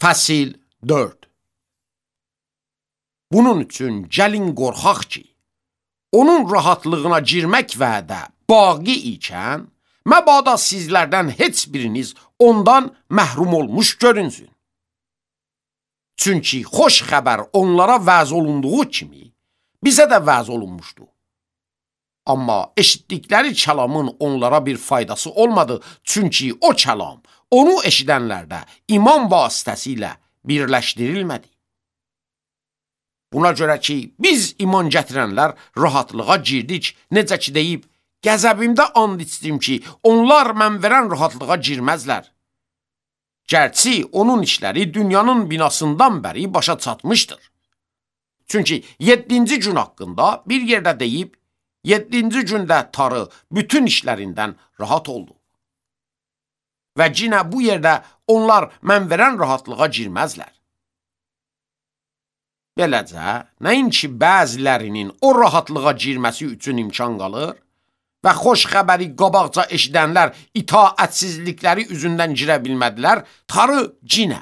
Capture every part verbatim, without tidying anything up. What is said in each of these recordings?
Fəsil dörd. Bunun üçün gəlin qorxaq ki, onun rahatlığına girmək vədə baqi ikən, məbada sizlərdən heç biriniz ondan məhrum olmuş görünsün. Çünki xoş xəbər onlara vəz olunduğu kimi, bizə də vəz olunmuşdu. Amma eşitdikləri kəlamın onlara bir faydası olmadı, çünki o kəlam onu eşidənlərdə iman vasitəsilə birləşdirilmədi. Buna görə ki, biz iman gətirənlər rahatlığa girdik, necə ki deyib, qəzəbimdə and içdim ki, onlar mən verən rahatlığa girməzlər. Gərçi onun işləri dünyanın binasından bəri başa çatmışdır. Çünki yeddinci gün haqqında bir yerdə deyib, yeddinci gündə tarı bütün işlərindən rahat oldu. Və cinə bu yerdə onlar mən verən rahatlığa girməzlər. Beləcə, nəinki bəzilərinin o rahatlığa girməsi üçün imkan qalır və xoş xəbəri qabaqca eşidənlər itaətsizlikləri üzündən girə bilmədilər, tarı cinə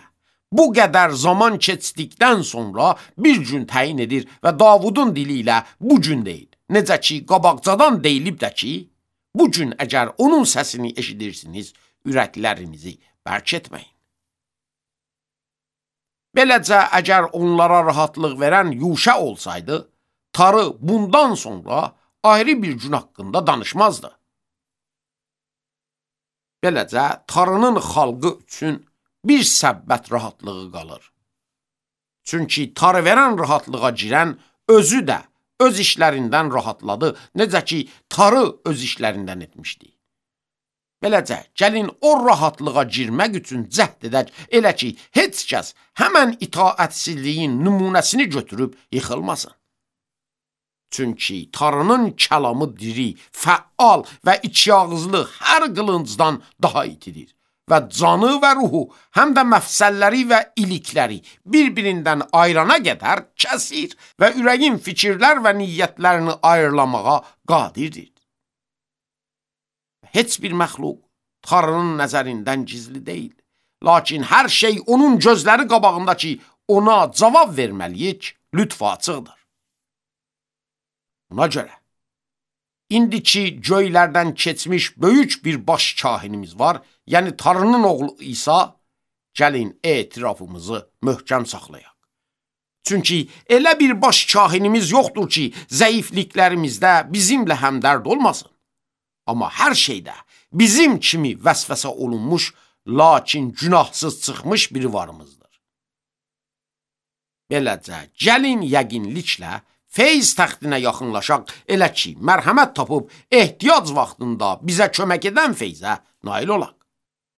bu qədər zaman keçdikdən sonra bir gün təyin edir və Davudun dili ilə bu gün deyil. Necə ki, qabaqcadan deyilib də ki, bu gün əgər onun səsini eşidirsiniz, ürəklərinizi bərk etməyin. Beləcə, əgər onlara rahatlıq verən Yuşa olsaydı, tarı bundan sonra ayrı bir gün haqqında danışmazdı. Beləcə, tarının xalqı üçün bir səbbət rahatlığı qalır. Çünki tarı verən rahatlığa girən özü də öz işlərindən rahatladı, necə ki, tarı öz işlərindən etmişdi. Beləcə, gəlin o rahatlığa girmək üçün cəhd edək, elə ki, heç kəs həmən itaətsizliyin nümunəsini götürüb yıxılmasın. Çünki tarının kəlamı diri, fəal və içyağızlı hər qılıncdan daha itidir və canı və ruhu, həm də məfsəlləri və ilikləri bir-birindən ayrana qədər kəsir və ürəyin fikirlər və niyyətlərini ayrılamağa qadirdir. Heç bir məxluq tarının nəzərindən gizli deyil. Lakin hər şey onun gözləri qabağında ki, ona cavab verməliyik, lütfü açıqdır. Buna görə, indiki göylərdən keçmiş böyük bir baş kahinimiz var, yəni tarının oğlu İsa, gəlin etirafımızı möhkəm saxlayaq. Çünki elə bir baş kahinimiz yoxdur ki, zəifliklərimizdə bizimlə həmdərd olmasın. Amma hər şeydə bizim kimi vəsvəsə olunmuş, lakin günahsız çıxmış biri varımızdır. Beləcə, gəlin yəqinliklə feyz təxtinə yaxınlaşaq, elə ki, mərhəmət tapıb ehtiyac vaxtında bizə kömək edən feyzə nail olaq.